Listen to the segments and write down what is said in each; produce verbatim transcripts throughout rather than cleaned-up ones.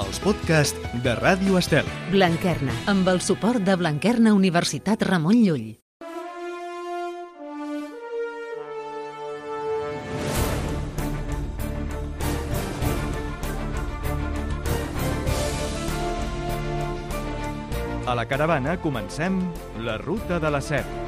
els podcasts de Ràdio Estel. Blanquerna, amb el suport de Blanquerna Universitat Ramon Llull. A la caravana comencem la Ruta de la Seda.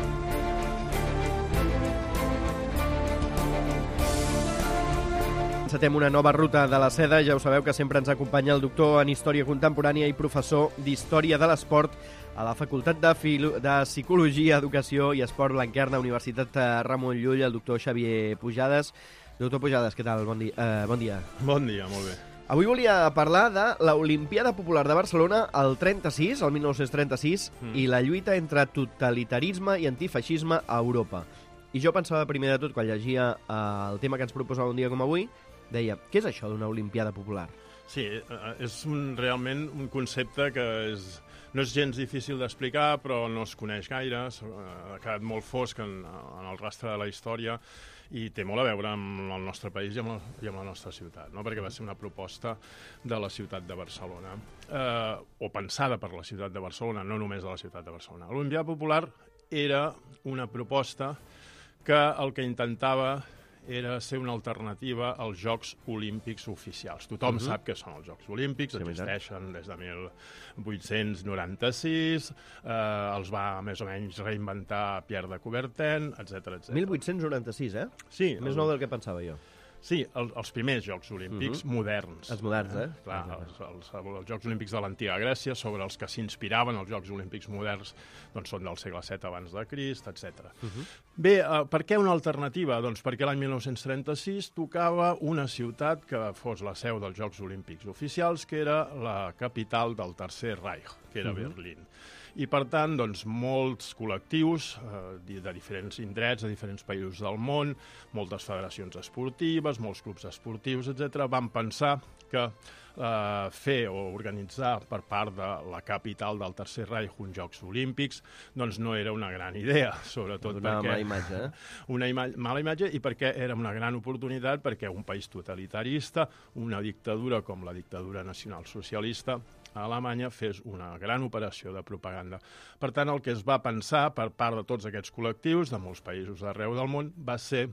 Encetem una nova Ruta de la Seda. Ja ho sabeu que sempre ens acompanya el doctor en Història Contemporània i professor d'Història de l'Esport a la Facultat de, Filo... de Psicologia, Educació i Esport Blanquerna, Universitat Ramon Llull, el doctor Xavier Pujades. Doctor Pujades, què tal? Bon dia. Uh, bon dia. Bon dia, molt bé. Avui volia parlar de l'Olimpiada Popular de Barcelona el trenta-sis, el mil nou-cents trenta-sis, mm. i la lluita entre totalitarisme i antifeixisme a Europa. I jo pensava primer de tot, quan llegia uh, el tema que ens proposava un dia com avui, deia, què és això d'una Olimpiada Popular? Sí, és un, realment un concepte que és, no és gens difícil d'explicar, però no es coneix gaire, ha quedat molt fosc en, en el rastre de la història, i té molt a veure amb el nostre país i amb la, i amb la nostra ciutat, no? Perquè va ser una proposta de la ciutat de Barcelona, eh, o pensada per la ciutat de Barcelona, no només de la ciutat de Barcelona. L'Olimpiada Popular era una proposta que el que intentava era ser una alternativa als Jocs Olímpics oficials. Tothom uh-huh. sap què són els Jocs Olímpics, sí, existeixen des de mil vuit-cents noranta-sis, eh, els va més o menys reinventar Pierre de Coubertin, etcètera, etcètera. mil vuit-cents noranta-sis, eh? Sí. Més el... nou del que pensava jo. Sí, el, els primers Jocs Olímpics uh-huh. moderns. Els moderns, eh? eh? Clar, els, els, els Jocs Olímpics de l'antiga Grècia, sobre els que s'inspiraven els Jocs Olímpics moderns, doncs són del segle set abans de Crist, etcètera. Uh-huh. Bé, eh, per què una alternativa? Doncs perquè l'any mil nou-cents trenta-sis tocava una ciutat que fos la seu dels Jocs Olímpics oficials, que era la capital del Tercer Reich, que era uh-huh. Berlín. I, per tant, doncs, molts col·lectius eh, de diferents indrets, de diferents països del món, moltes federacions esportives, molts clubs esportius, etcètera, van pensar que eh, fer o organitzar per part de la capital del Tercer Reich uns Jocs Olímpics doncs no era una gran idea, sobretot una perquè... Una mala imatge, eh? Una ima mala imatge, i perquè era una gran oportunitat perquè un país totalitarista, una dictadura com la dictadura nacional-socialista a Alemanya, fes una gran operació de propaganda. Per tant, el que es va pensar per part de tots aquests col·lectius, de molts països d'arreu del món, va ser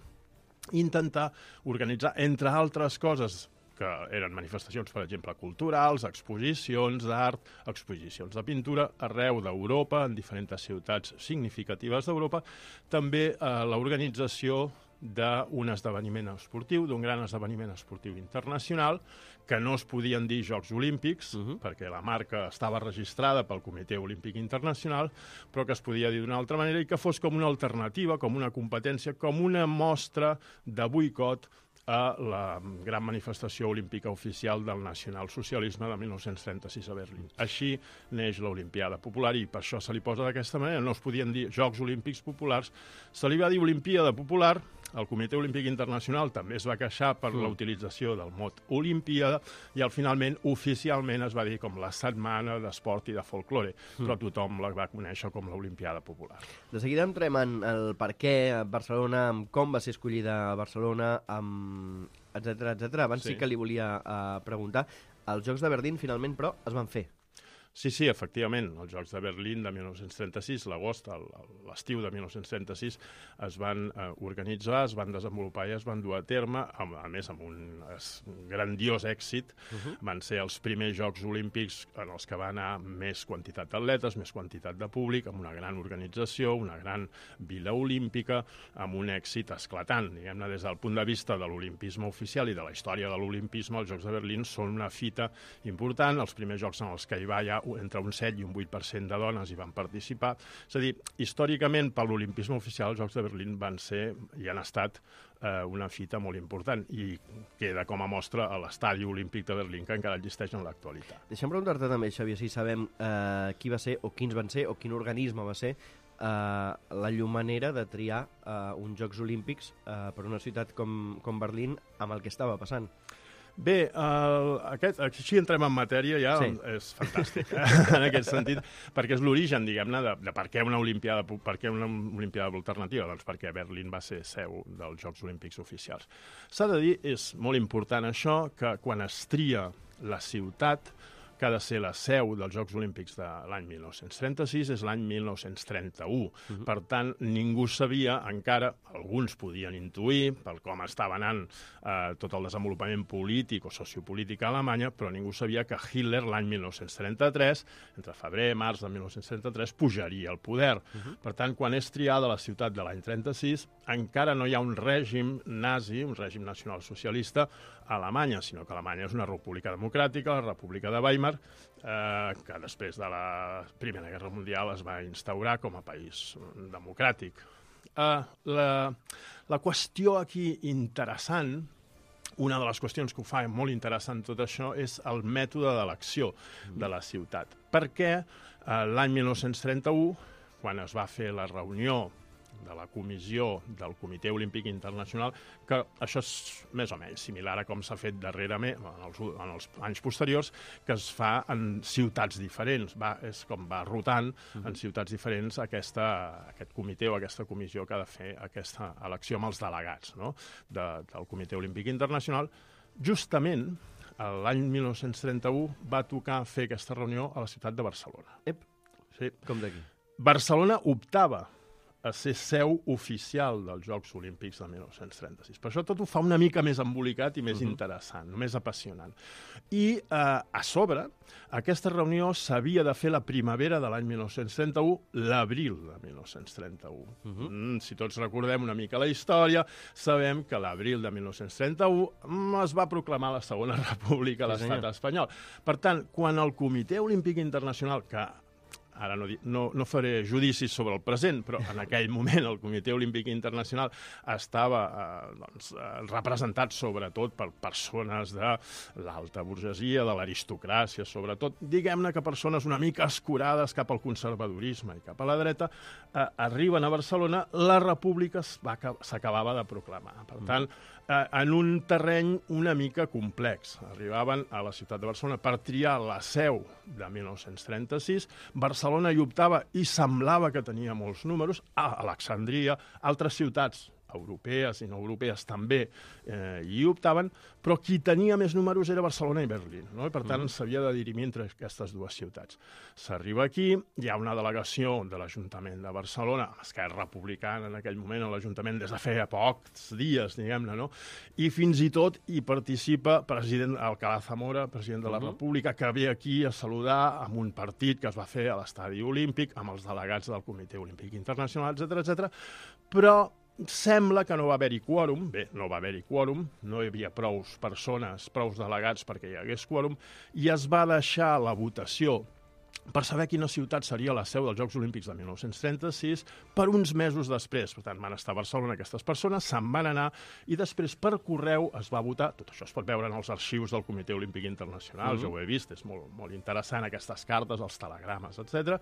intentar organitzar, entre altres coses, que eren manifestacions, per exemple, culturals, exposicions d'art, exposicions de pintura, arreu d'Europa, en diferents ciutats significatives d'Europa, també eh, l'organització d'un esdeveniment esportiu, d'un gran esdeveniment esportiu internacional, que no es podien dir Jocs Olímpics, uh-huh. perquè la marca estava registrada pel Comitè Olímpic Internacional, però que es podia dir d'una altra manera i que fos com una alternativa, com una competència, com una mostra de boicot a la gran manifestació olímpica oficial del nacionalsocialisme de mil nou-cents trenta-sis a Berlín. Així neix l'Olimpiada Popular i per això se li posa d'aquesta manera. No es podien dir Jocs Olímpics Populars, se li va dir Olimpiada Popular. El Comitè Olímpic Internacional també es va queixar per mm. la utilització del mot Olimpiada i al finalment, oficialment, es va dir com la Setmana d'Esport i de Folklore, mm. però tothom la va conèixer com l'Olimpiada Popular. De seguida entrem en el per què a Barcelona, com va ser escollida a Barcelona, etcètera, etcètera. Abans sí. sí que li volia uh, preguntar, els Jocs de Berlín finalment, però, es van fer. Sí, sí, efectivament, els Jocs de Berlín de mil nou-cents trenta-sis, l'agost, l'estiu de mil nou-cents trenta-sis, es van eh, organitzar, es van desenvolupar i es van dur a terme, a, a més amb un grandiós èxit. Uh-huh. Van ser els primers Jocs Olímpics en els que va anar més quantitat d'atletes, més quantitat de públic, amb una gran organització, una gran vila olímpica, amb un èxit esclatant. Diguem-ne, des del punt de vista de l'olimpisme oficial i de la història de l'olimpisme, els Jocs de Berlín són una fita important, els primers jocs en els que hi va ja entre un set i un vuit per cent de dones hi van participar. És a dir, històricament, per l'olimpisme oficial, els Jocs de Berlín van ser i han estat eh, una fita molt important i queda com a mostra a l'estadi olímpic de Berlín, que encara existeix en l'actualitat. Deixa'm preguntar-te també, Xavier, si sabem eh, qui va ser o quins van ser o quin organisme va ser eh, la llum manera de triar eh, uns Jocs Olímpics eh, per una ciutat com, com Berlín amb el que estava passant. Bé, el, aquest, així entrem en matèria ja, sí. És fantàstic, eh? En aquest sentit, perquè és l'origen, diguem-ne, de, de per què una Olimpiada, per què una Olimpiada alternativa, doncs perquè Berlín va ser seu dels Jocs Olímpics oficials. S'ha de dir, és molt important això, que quan es tria la ciutat, que ha de ser la seu dels Jocs Olímpics de l'any mil nou-cents trenta-sis és l'any mil nou-cents trenta-u. Uh-huh. Per tant, ningú sabia encara, alguns podien intuir, pel com estava anant eh, tot el desenvolupament polític o sociopolític a Alemanya, però ningú sabia que Hitler l'any mil nou-cents trenta-tres, entre febrer i març de mil nou-cents trenta-tres, pujaria al poder. Uh-huh. Per tant, quan és triada la ciutat de l'any trenta-sis, encara no hi ha un règim nazi, un règim nacionalsocialista a Alemanya, sinó que Alemanya és una república democràtica, la República de Weimar, eh, que després de la Primera Guerra Mundial es va instaurar com a país democràtic. Eh, la, la qüestió aquí interessant, una de les qüestions que ho fa molt interessant tot això, és el mètode d'elecció de la ciutat. Perquè eh, l'any mil nou-cents trenta-u, quan es va fer la reunió de la comissió del Comitè Olímpic Internacional, que això és més o menys similar a com s'ha fet darrerament, en els, en els anys posteriors, que es fa en ciutats diferents. Va, és com va rotant uh-huh. en ciutats diferents aquesta, aquest comitè o aquesta comissió que ha de fer aquesta elecció amb els delegats, no? de, del Comitè Olímpic Internacional. Justament, l'any mil nou-cents trenta-u va tocar fer aquesta reunió a la ciutat de Barcelona. Ep, sí. Com d'aquí? Barcelona optava a ser seu oficial dels Jocs Olímpics de mil nou-cents trenta-sis. Per això tot ho fa una mica més embolicat i més uh-huh. interessant, més apassionant. I, eh, a sobre, aquesta reunió s'havia de fer la primavera de l'any mil nou-cents trenta-u, l'abril de mil nou-cents trenta-u. Uh-huh. Mm, si tots recordem una mica la història, sabem que l'abril de mil nou-cents trenta-u es va proclamar la Segona República a l'estat espanyol. Per tant, quan el Comitè Olímpic Internacional, que ara no, no, no faré judicis sobre el present, però en aquell moment el Comitè Olímpic Internacional estava eh, doncs, eh, representat sobretot per persones de l'alta burgesia, de l'aristocràcia, sobretot, diguem-ne que persones una mica escurades cap al conservadorisme i cap a la dreta, eh, arriben a Barcelona, la república s'acabava de proclamar. Per tant, eh, en un terreny una mica complex. Arribaven a la ciutat de Barcelona per triar la seu de mil nou-cents trenta-sis, Barcelona hi optava i semblava que tenia molts números, a Alexandria, altres ciutats europees i no europees també eh, hi optaven, però qui tenia més números era Barcelona i Berlín, no? I per tant s'havia de dirimir entre aquestes dues ciutats. S'arriba aquí, hi ha una delegació de l'Ajuntament de Barcelona, Esquerra Republicana en aquell moment, l'Ajuntament des de feia pocs dies, diguem-ne, no? I fins i tot hi participa president Alcalá Zamora, president de la República, que ve aquí a saludar amb un partit que es va fer a l'Estadi Olímpic, amb els delegats del Comitè Olímpic Internacional, etcètera, etcètera. Però sembla que no va haver-hi quòrum, bé, no va haver-hi quòrum, no hi havia prous persones, prous delegats perquè hi hagués quòrum, i es va deixar la votació per saber quina ciutat seria la seu dels Jocs Olímpics de mil nou-cents trenta-sis per uns mesos després. Per tant, van estar a Barcelona aquestes persones, se'n van anar, i després per correu es va votar. Tot això es pot veure en els arxius del Comitè Olímpic Internacional, uh-huh. jo ho he vist, és molt, molt interessant, aquestes cartes, els telegrames, etcètera.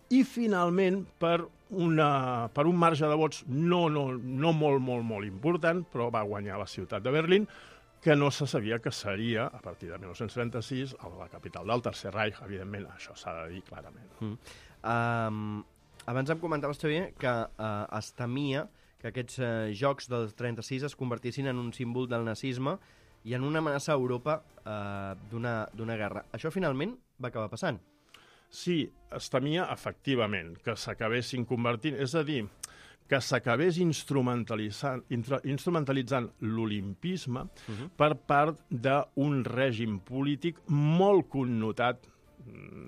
I finalment, per, una, per un marge de vots no, no, no molt, molt, molt important, però va guanyar la ciutat de Berlín, que no se sabia que seria, a partir de mil nou-cents trenta-sis, la capital del Tercer Reich, evidentment, això s'ha de dir clarament. Mm. Um, abans em comentaves, Xavier, que uh, es temia que aquests uh, jocs del trenta-sis es convertissin en un símbol del nazisme i en una amenaça a Europa uh, d'una guerra. Això finalment va acabar passant. Sí, es temia, efectivament, que s'acabessin convertint, és a dir, que s'acabés instrumentalitzant, instrumentalitzant l'olimpisme uh-huh. per part d'un règim polític molt connotat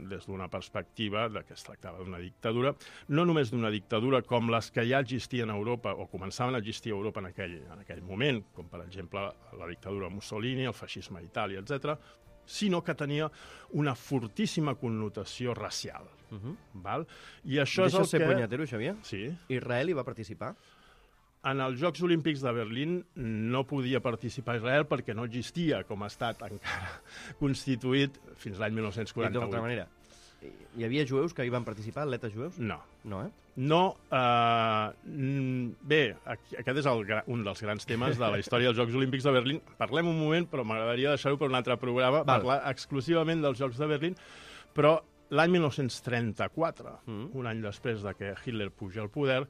des d'una perspectiva de que es tractava d'una dictadura, no només d'una dictadura com les que ja existien a Europa o començaven a existir a Europa en aquell, en aquell moment, com per exemple la dictadura de Mussolini, el feixisme a Itàlia, etcètera, sinó que tenia una fortíssima connotació racial. Uh-huh. Val? I això Deixa és el ser que... punyetero, Xavier? Sí. Israel hi va participar? En els Jocs Olímpics de Berlín no podia participar Israel perquè no existia com a estat encara constituït fins l'any mil nou-cents quaranta-vuit. D'altra manera, hi havia jueus que hi van participar, atletes jueus? No. No, eh? No. Uh, bé, aquest és el, un dels grans temes de la història dels Jocs Olímpics de Berlín. Parlem un moment, però m'agradaria deixar-ho per un altre programa, Val. parlar exclusivament dels Jocs de Berlín, però l'any mil nou-cents trenta-quatre, mm. un any després de que Hitler puja al poder,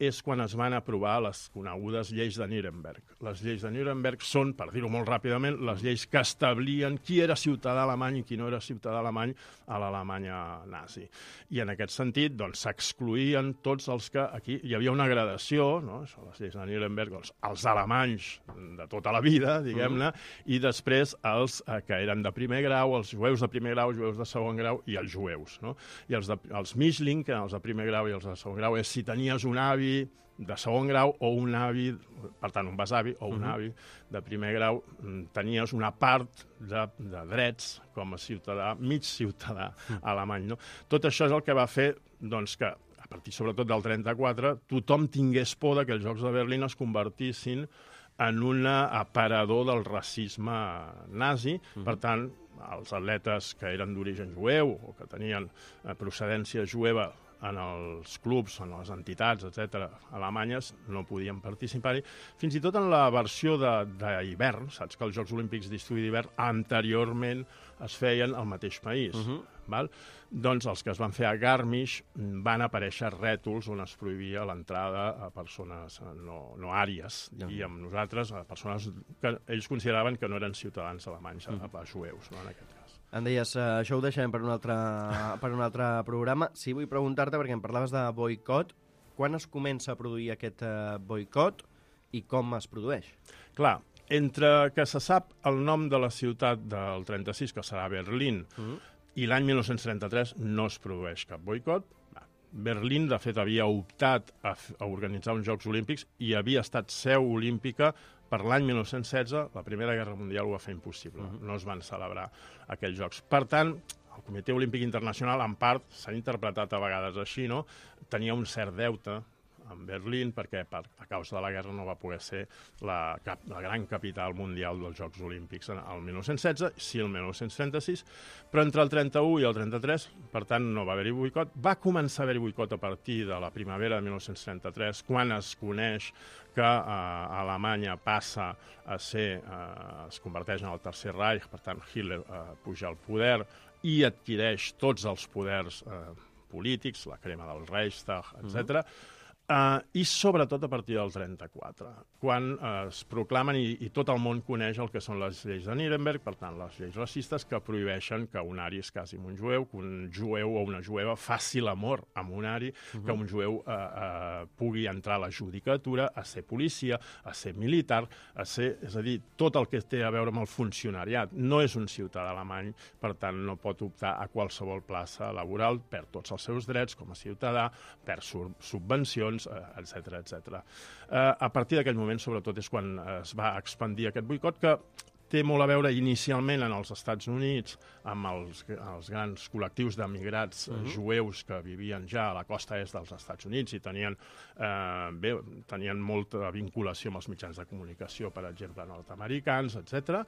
és quan es van aprovar les conegudes lleis de Nuremberg. Les lleis de Nuremberg són, per dir-ho molt ràpidament, les lleis que establien qui era ciutadà alemany i qui no era ciutadà alemany a l'Alemanya nazi. I en aquest sentit, doncs, s'excluïen tots els que... Aquí hi havia una gradació, no? Això, les lleis de Nuremberg, doncs, els alemanys de tota la vida, diguem-ne, mm. i després els eh, que eren de primer grau, els jueus de primer grau, jueus de segon grau i els jueus, no? I els, de, els Mischling, que eren els de primer grau i els de segon grau, és si tenies un avi de segon grau o un avi, per tant, un besavi o un uh-huh. avi de primer grau, tenies una part de, de drets com a ciutadà, mig ciutadà uh-huh. alemany. No? Tot això és el que va fer doncs, que, a partir sobretot del trenta-quatre, tothom tingués por que els Jocs de Berlín es convertissin en un aparador del racisme nazi. Uh-huh. Per tant, els atletes que eren d'origen jueu o que tenien procedència jueva en els clubs, en les entitats, etcètera, alemanyes, no podien participar-hi. Fins i tot en la versió d'hivern, saps que els Jocs Olímpics d'estiu i d'hivern anteriorment es feien al mateix país. Uh-huh. Val? Doncs els que es van fer a Garmisch van aparèixer rètols on es prohibia l'entrada a persones no, no àries, i amb nosaltres, a persones que ells consideraven que no eren ciutadans alemanys, uh-huh. a, a jueus, no, en aquest cas. Em deies, uh, això ho deixarem per un altre, per un altre programa. Sí, vull preguntar-te, perquè em parlaves de boicot, quan es comença a produir aquest uh, boicot i com es produeix? Clar, entre que se sap el nom de la ciutat del trenta-sis, que serà Berlín, uh-huh. i l'any mil nou-cents trenta-tres no es produeix cap boicot. Berlín, de fet, havia optat a, a organitzar uns Jocs Olímpics i havia estat seu olímpica per l'any mil nou-cents setze, la Primera Guerra Mundial ho va fer impossible. Uh-huh. No es van celebrar aquells Jocs. Per tant, el Comitè Olímpic Internacional, en part, s'ha interpretat a vegades així, no? Tenia un cert deute en Berlín, perquè per, a causa de la guerra no va poder ser la, cap, la gran capital mundial dels Jocs Olímpics el mil nou-cents setze, sí el mil nou-cents trenta-sis, però entre el trenta-u i el trenta-tres, per tant, no va haver-hi boicot. Va començar a haver-hi boicot a partir de la primavera de mil nou-cents trenta-tres, quan es coneix que eh, Alemanya passa a ser, eh, es converteix en el Tercer Reich, per tant, Hitler eh, puja al poder i adquireix tots els poders eh, polítics, la crema del Reichstag, etcètera. Uh-huh. Uh, I sobretot a partir del trenta-quatre, quan uh, es proclamen i, i tot el món coneix el que són les lleis de Nuremberg, per tant, les lleis racistes que prohibeixen que un ari es casi amb un jueu, que un jueu o una jueva faci l'amor amb un ari, uh-huh. que un jueu uh, uh, pugui entrar a la judicatura, a ser policia, a ser militar, a ser, és a dir, tot el que té a veure amb el funcionariat. No és un ciutadà alemany, per tant, no pot optar a qualsevol plaça laboral, perd tots els seus drets com a ciutadà, perd subvencions, etcètera, etcètera. Uh, a partir d'aquell moment, sobretot, és quan es va expandir aquest boicot, que té molt a veure inicialment en els Estats Units amb els, els grans col·lectius d'emigrats uh-huh. jueus que vivien ja a la costa est dels Estats Units i tenien, eh, bé, tenien molta vinculació amb els mitjans de comunicació, per exemple, nord-americans, etcètera,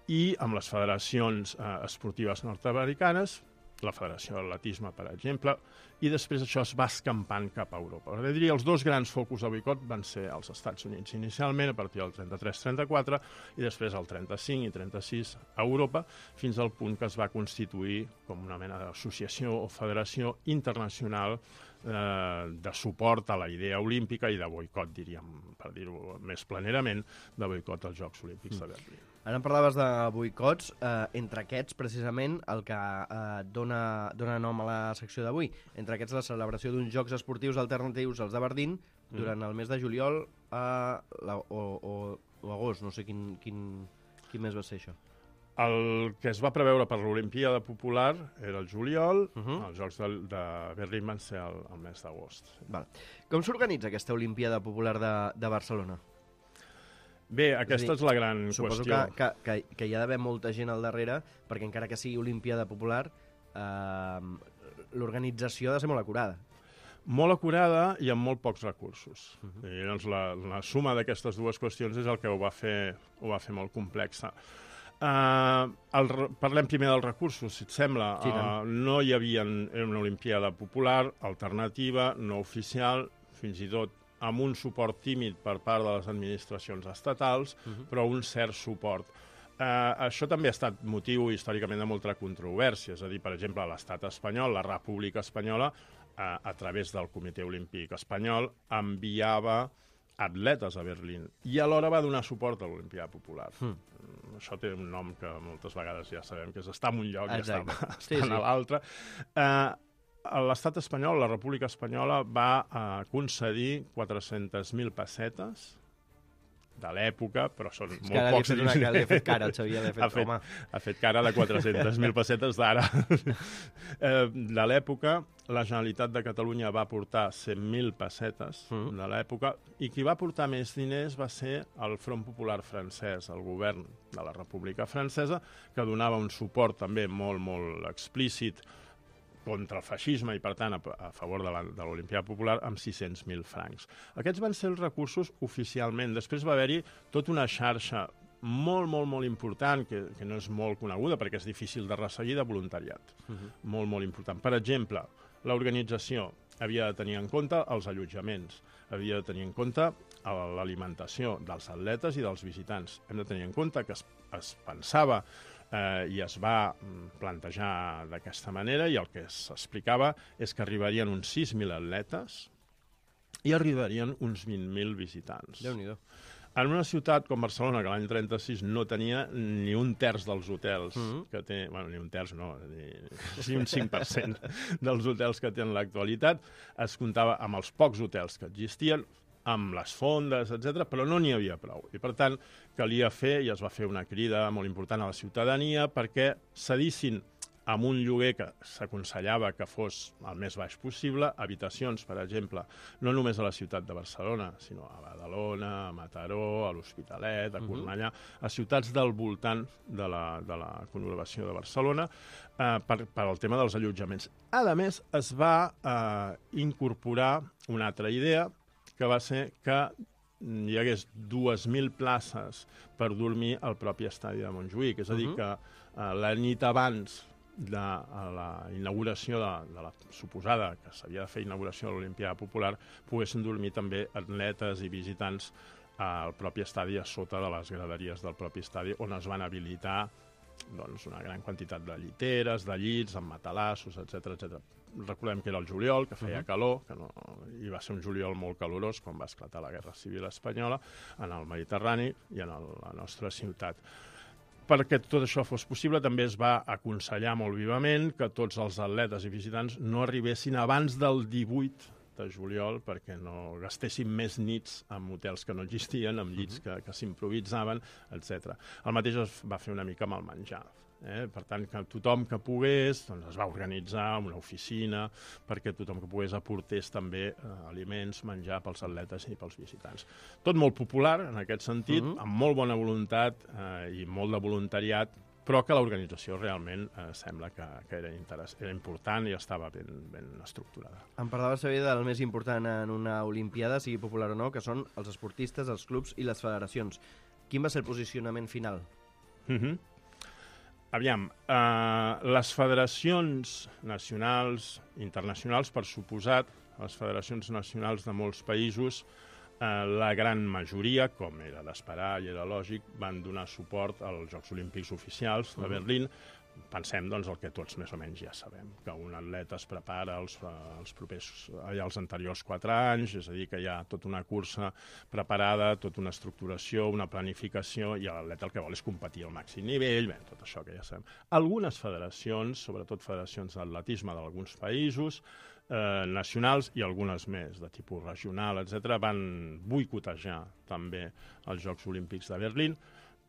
i amb les federacions eh, esportives nord-americanes, la Federació d'Atletisme, per exemple, i després això es va escampant cap a Europa. Per dir, els dos grans focus de boicot van ser els Estats Units inicialment, a partir del trenta-tres trenta-quatre, i després el trenta-cinc i trenta-sis a Europa, fins al punt que es va constituir com una mena d'associació o federació internacional eh, de suport a la idea olímpica i de boicot, diríem, per dir-ho més planerament, de boicot als Jocs Olímpics de Berlín. Ara em parlaves de boicots, eh, entre aquests, precisament, el que eh, dona, dona nom a la secció d'avui. Entre aquests, la celebració d'uns Jocs Esportius alternatius als de Berlín durant mm. el mes de juliol eh, la, o, o, o agost, no sé quin, quin, quin mes va ser això. El que es va preveure per l'Olimpíada Popular era el juliol, uh-huh. els Jocs de, de Berlín van ser el, el mes d'agost. Vale. Com s'organitza aquesta Olimpíada Popular de, de Barcelona? Bé, aquesta és, dir, és la gran suposo qüestió. Suposo que, que, que, que hi ha d'haver molta gent al darrere, perquè encara que sigui Olimpíada Popular, eh, l'organització ha de ser molt acurada. Molt acurada i amb molt pocs recursos. Uh-huh. I doncs la, la suma d'aquestes dues qüestions és el que ho va fer, ho va fer molt complexa. Uh, el, parlem primer dels recursos, si et sembla. Sí, uh, no hi havia una Olimpíada Popular, alternativa, no oficial, fins i tot amb un suport tímid per part de les administracions estatals, uh-huh. però un cert suport. Uh, això també ha estat motiu històricament de molta controvèrsia, és a dir, per exemple, l'estat espanyol, la República Espanyola, a, a través del Comitè Olímpic Espanyol, enviava atletes a Berlín i alhora va donar suport a l'Olimpiada Popular. Mm. Això té un nom que moltes vegades ja sabem que és estar en un lloc i estar, estar sí, sí. a l'altre. Eh, L'estat espanyol, la República Espanyola, va eh, concedir quatre-centes mil pessetes de l'època, però són és molt pocs diners. És que li ha fet cara, el Xavier, li ha fet, ha fet, home. Ha fet cara de quatre-centes mil pessetes d'ara. eh, de l'època, la Generalitat de Catalunya va aportar cent mil pessetes mm. de l'època, i qui va aportar més diners va ser el Front Popular francès, el govern de la República Francesa, que donava un suport també molt, molt explícit contra el feixisme i, per tant, a, a favor de l'Olimpiada Popular, amb sis-cents mil francs. Aquests van ser els recursos oficialment. Després va haver-hi tota una xarxa molt, molt, molt important, que, que no és molt coneguda perquè és difícil de resseguir, de voluntariat. Uh-huh. Molt, molt important. Per exemple, l'organització havia de tenir en compte els allotjaments, havia de tenir en compte l'alimentació dels atletes i dels visitants. Hem de tenir en compte que es, es pensava eh, i es va plantejar d'aquesta manera, i el que s'explicava és que arribarien uns sis mil atletes i arribarien uns vint mil visitants. Déu-n'hi-do. En una ciutat com Barcelona, que l'any trenta-sis no tenia ni un terç dels hotels mm-hmm. que té... Bueno, ni un terç, no, ni, ni un cinc per cent dels hotels que té en l'actualitat. Es comptava amb els pocs hotels que existien, amb les fondes, etcètera, però no n'hi havia prou. I, per tant, calia fer, i es va fer una crida molt important a la ciutadania, perquè cedissin amb un lloguer que s'aconsellava que fos el més baix possible, habitacions, per exemple, no només a la ciutat de Barcelona, sinó a Badalona, a Mataró, a l'Hospitalet, a Cornellà, a ciutats del voltant de la, de la conurbació de Barcelona, eh, per, per al tema dels allotjaments. A més, es va eh, incorporar una altra idea, que va ser que hi hagués dues mil places per dormir al propi estadi de Montjuïc. És a dir, que eh, la nit abans de la inauguració de, de la suposada, que s'havia de fer inauguració de l'Olimpiada Popular, poguessin dormir també atletes i visitants al propi estadi, a sota de les graderies del propi estadi, on es van habilitar doncs, una gran quantitat de lliteres, de llits, amb matalassos, etcètera, etcètera. Recordem que era el juliol, que feia uh-huh. calor, que no, i va ser un juliol molt calorós quan va esclatar la Guerra Civil Espanyola en el Mediterrani i en el, la nostra ciutat. Perquè tot això fos possible, també es va aconsellar molt vivament que tots els atletes i visitants no arribessin abans del divuit de juliol perquè no gastessin més nits en hotels que no existien, amb llits que, que s'improvisaven, etcètera. El mateix es va fer una mica amb el menjar. Eh? Per tant, que tothom que pogués doncs es va organitzar una oficina perquè tothom que pogués aportés també eh, aliments, menjar pels atletes i pels visitants. Tot molt popular en aquest sentit, uh-huh. amb molt bona voluntat eh, i molt de voluntariat, però que l'organització realment eh, sembla que, que era, interess- era important i estava ben, ben estructurada. Em parlava, Xavier, del més important en una olimpiada, sigui popular o no, que són els esportistes, els clubs i les federacions. Quin va ser el posicionament final? Uh-huh. Aviam, eh, les federacions nacionals, internacionals, per suposat, les federacions nacionals de molts països, eh, la gran majoria, com era d'esperar i era lògic, van donar suport als Jocs Olímpics Oficials de Berlín. Pensem, doncs, el que tots més o menys ja sabem, que un atleta es prepara els, els propers, els anteriors quatre anys, és a dir, que hi ha tota una cursa preparada, tota una estructuració, una planificació, i l'atleta el que vol és competir al màxim nivell, bé, tot això que ja sabem. Algunes federacions, sobretot federacions d'atletisme d'alguns països, eh, nacionals i algunes més, de tipus regional, etcètera, van boicotejar també els Jocs Olímpics de Berlín,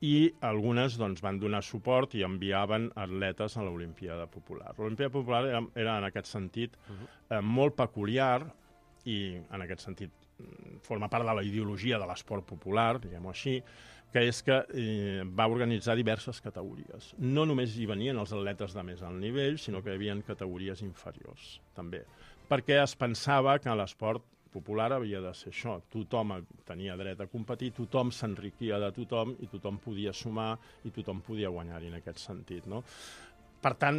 i algunes doncs, van donar suport i enviaven atletes a l'Olimpiada Popular. L'Olimpiada Popular era, era en aquest sentit uh-huh. eh, molt peculiar i en aquest sentit forma part de la ideologia de l'esport popular, diguem-ho així, que és que eh, va organitzar diverses categories. No només hi venien els atletes de més alt nivell, sinó que hi havia categories inferiors, també. Perquè es pensava que l'esport popular havia de ser això. Tothom tenia dret a competir, tothom s'enriquia de tothom i tothom podia sumar i tothom podia guanyar-hi en aquest sentit, no? Per tant,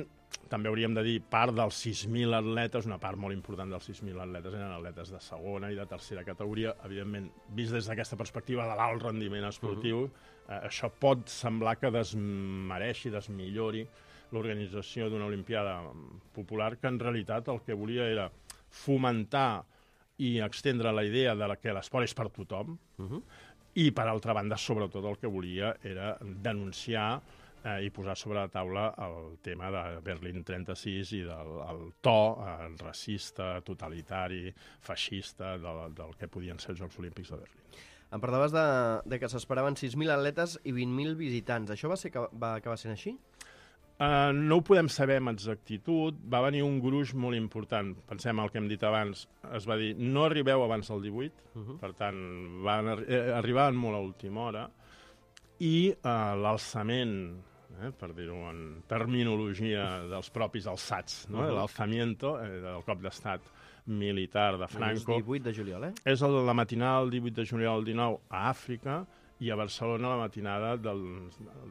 també hauríem de dir, part dels sis mil atletes, una part molt important dels sis mil atletes eren atletes de segona i de tercera categoria. Evidentment, vist des d'aquesta perspectiva de l'alt rendiment esportiu, uh-huh. eh, això pot semblar que desmereixi, desmillori l'organització d'una Olimpiada popular, que en realitat el que volia era fomentar i extendre la idea de que l'esport és per tothom, uh-huh. i, per altra banda, sobretot el que volia era denunciar eh, i posar sobre la taula el tema de Berlín trenta-sis i del el to eh, racista, totalitari, feixista del, del que podien ser els Jocs Olímpics de Berlín. Em parlaves de, de que s'esperaven sis mil atletes i vint mil visitants. Això va, ser, va acabar sent així? Uh, no ho podem saber amb exactitud. Va venir un gruix molt important. Pensem el que hem dit abans. Es va dir, no arribeu abans del divuit, uh-huh. per tant, van arri eh, arribaven molt a última hora, i uh, l'alçament, eh, per dir-ho en terminologia dels propis alçats, no? uh-huh. l'alzamiento eh, del cop d'estat militar de Franco. És divuit de juliol, eh? És el, la matinada del divuit de juliol al dinou a Àfrica i a Barcelona la matinada del,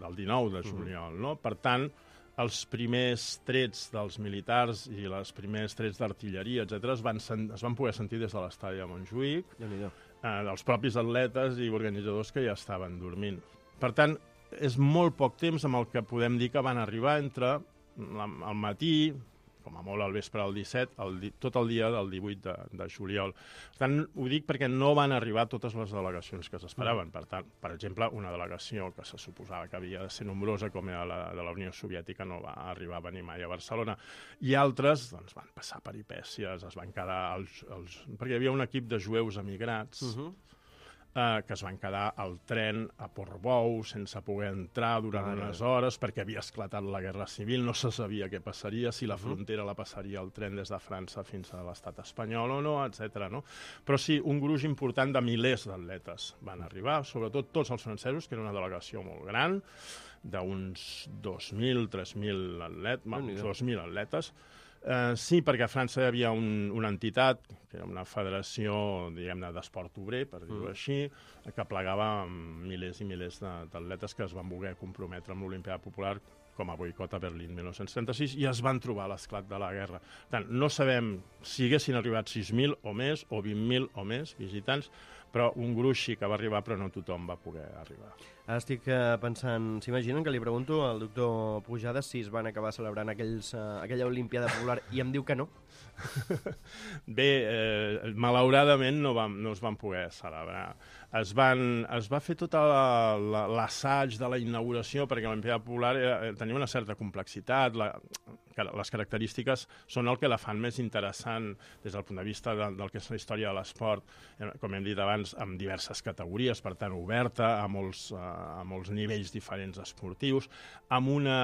del dinou de juliol, uh-huh. no? Per tant, els primers trets dels militars i els primers trets d'artilleria, etcètera, es, van es van poder sentir des de l'estadi de Montjuïc, eh, dels propis atletes i organitzadors que ja estaven dormint. Per tant, és molt poc temps amb el que podem dir que van arribar entre la, el matí, com a molt al vespre del disset, el, tot el dia del divuit de, de juliol. Per tant, ho dic perquè no van arribar totes les delegacions que s'esperaven. Per tant, per exemple, una delegació que se suposava que havia de ser nombrosa, com era la de la Unió Soviètica, no va arribar a venir mai a Barcelona. I altres doncs, van passar peripècies, es van quedar... Els, els... perquè hi havia un equip de jueus emigrats, uh-huh. eh, que es van quedar al tren a Portbou sense poder entrar durant ah, unes hores perquè havia esclatat la Guerra Civil, no se sabia què passaria, si la frontera la passaria el tren des de França fins a l'estat espanyol o no, etcètera. No? Però sí, un gruix important de milers d'atletes van arribar, sobretot tots els francesos, que era una delegació molt gran, d'uns dos mil, tres mil atletes, dos mil atletes. Uh, sí, perquè a França hi havia un, una entitat, que era una federació, diguem-ne, d'esport obrer, per dir-ho mm. així, que plegava milers i milers d'atletes que es van voler comprometre amb l'Olimpiada Popular com a boicot a Berlín dinou trenta-sis i es van trobar a l'esclat de la guerra. Per tant, no sabem si haguessin arribat sis mil o més, o vint mil o més visitants, però un gruix sí que va arribar, però no tothom va poder arribar. Ara estic uh, pensant, s'imaginen que li pregunto al doctor Pujades si es van acabar celebrant aquells, uh, aquella Olimpiada Popular i em diu que no? Bé, eh, malauradament no, vam, no es van poder celebrar. Es, van, es va fer tot l'assaig de la inauguració perquè l'Olimpiada Popular eh, tenia una certa complexitat, la, que les característiques són el que la fan més interessant des del punt de vista de, del que és la història de l'esport, com hem dit abans, amb diverses categories, per tant oberta a molts, a molts nivells diferents esportius, amb, una,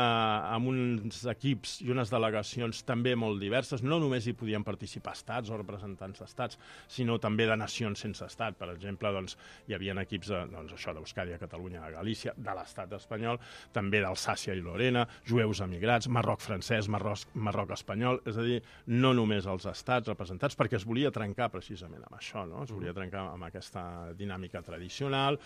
amb uns equips i unes delegacions també molt diverses. No només hi podien participar estats o representants d'estats, sinó també de nacions sense estat. Per exemple, doncs, hi havia equips de, doncs, això d'Euskadi, Catalunya, de Galícia, de l'estat espanyol, també d'Alsàcia i Lorena, jueus emigrats, Marroc francès, Marroc, Marroc espanyol, és a dir, no només els estats representats, perquè es volia trencar precisament amb això, no? Es volia trencar amb aquesta dinàmica tradicional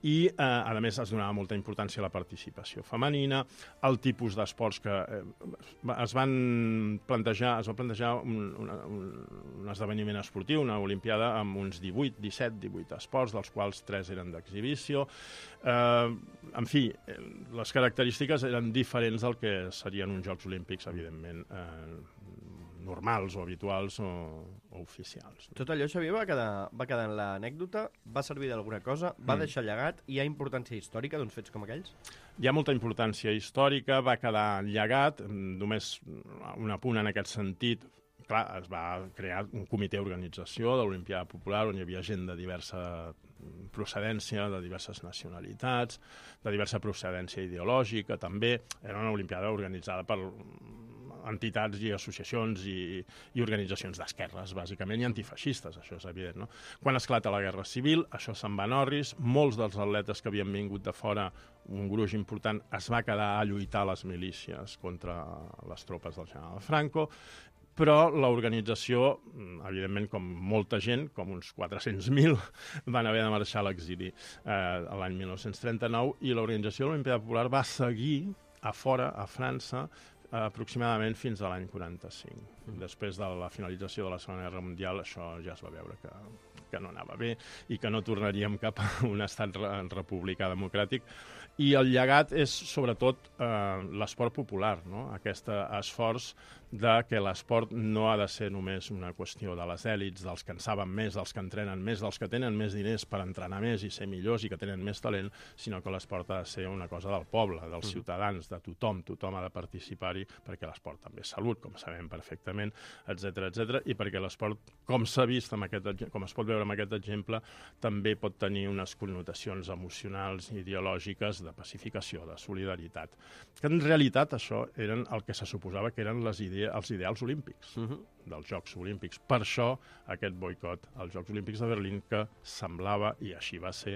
i, eh, a més, es donava molta importància a la participació femenina, al tipus d'esports que eh, es van plantejar, es va plantejar un, una, un, un esdeveniment esportiu, una olimpiada amb uns divuit, disset, divuit esports, dels quals tres eren d'exhibició. Eh, en fi, les característiques eren diferents del que serien uns Jocs Olímpics, evidentment, eh, normals o habituals o, o oficials. Tot allò, Xavier, va quedar, va quedar en l'anècdota, va servir d'alguna cosa, va mm. deixar llegat, i hi ha importància històrica d'uns fets com aquells? Hi ha molta importància històrica, va quedar llegat, només un apunt en aquest sentit. Clar, es va crear un comitè d'organització de l'Olimpiada Popular on hi havia gent de diversa procedència, de diverses nacionalitats, de diversa procedència ideològica, també. Era una olimpiada organitzada per entitats i associacions i, i organitzacions d'esquerres, bàsicament, i antifeixistes, això és evident, no? Quan esclata la Guerra Civil, això se'n va en orris, molts dels atletes que havien vingut de fora, un gruix important, es va quedar a lluitar a les milícies contra les tropes del general Franco, però l'organització, evidentment, com molta gent, com uns quatre-cents mil, van haver de marxar a l'exili eh, l'any dinou trenta-nou, i l'organització de l'Olimpiada Popular va seguir a fora, a França, aproximadament fins a l'any quaranta-cinc. Mm. Després de la finalització de la Segona Guerra Mundial, això ja es va veure que, que no anava bé i que no tornaríem cap a un estat republicà democràtic. I el llegat és, sobretot, eh, l'esport popular, no? Aquest esforç de que l'esport no ha de ser només una qüestió de les èlits, dels que en saben més, dels que entrenen més, dels que tenen més diners per entrenar més i ser millors i que tenen més talent, sinó que l'esport ha de ser una cosa del poble, dels ciutadans, de tothom. Tothom ha de participar-hi perquè l'esport també és salut, com sabem perfectament, etcètera, etcètera, i perquè l'esport, com s'ha vist, amb aquest, com es pot veure amb aquest exemple, també pot tenir unes connotacions emocionals, ideològiques, de pacificació, de solidaritat. Que en realitat això eren el que se suposava que eren les idees els ideals olímpics, uh-huh. dels Jocs Olímpics. Per això aquest boicot als Jocs Olímpics de Berlín, que semblava, i així va ser,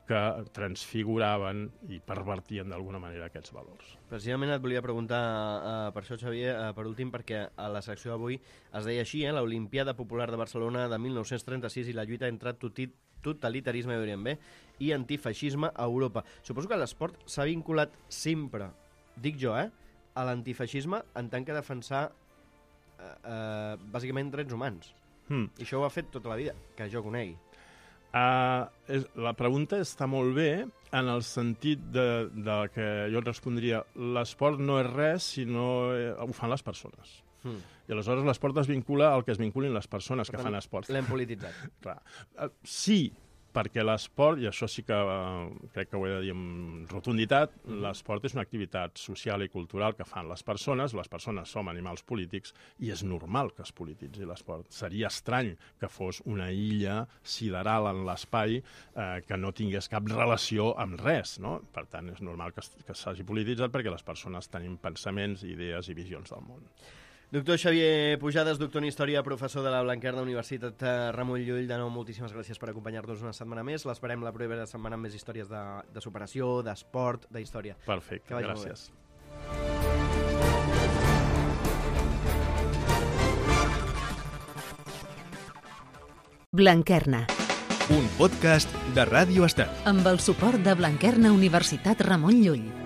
que transfiguraven i pervertien d'alguna manera aquests valors. Precisament et volia preguntar uh, per això, Xavier, uh, per últim, perquè a la secció d'avui es deia així, eh, l'Olimpiada Popular de Barcelona de mil nou-cents trenta-sis i la lluita entre totalitarisme, diríem bé, i antifeixisme a Europa. Suposo que l'esport s'ha vinculat sempre, dic jo, eh, a l'antifeixisme en tant que defensar eh, eh, bàsicament drets humans. Hmm. I això ho ha fet tota la vida, que jo conegui. Uh, és, la pregunta està molt bé en el sentit de, de que jo et respondria l'esport no és res si no eh, ho fan les persones. Hmm. I aleshores l'esport es vincula al que es vinculin les persones per que tant, fan esport. L'hem polititzat. Clar. Uh, sí, perquè l'esport, i això sí que uh, crec que ho he de dir amb rotunditat, mm. l'esport és una activitat social i cultural que fan les persones, les persones som animals polítics, i és normal que es polititzi l'esport. Seria estrany que fos una illa sideral en l'espai eh, que no tingués cap relació amb res, no? Per tant, és normal que, que s'hagi polititzat perquè les persones tenim pensaments, idees i visions del món. Doctor Xavier Pujades, doctor en Història, professor de la Blanquerna Universitat Ramon Llull, de nou, moltíssimes gràcies per acompanyar-nos una setmana més. L'esperem la propera setmana amb més històries de, de superació, d'esport, d'història. Perfecte, gràcies. Blanquerna. Un podcast de Ràdio Estat. Amb el suport de Blanquerna Universitat Ramon Llull.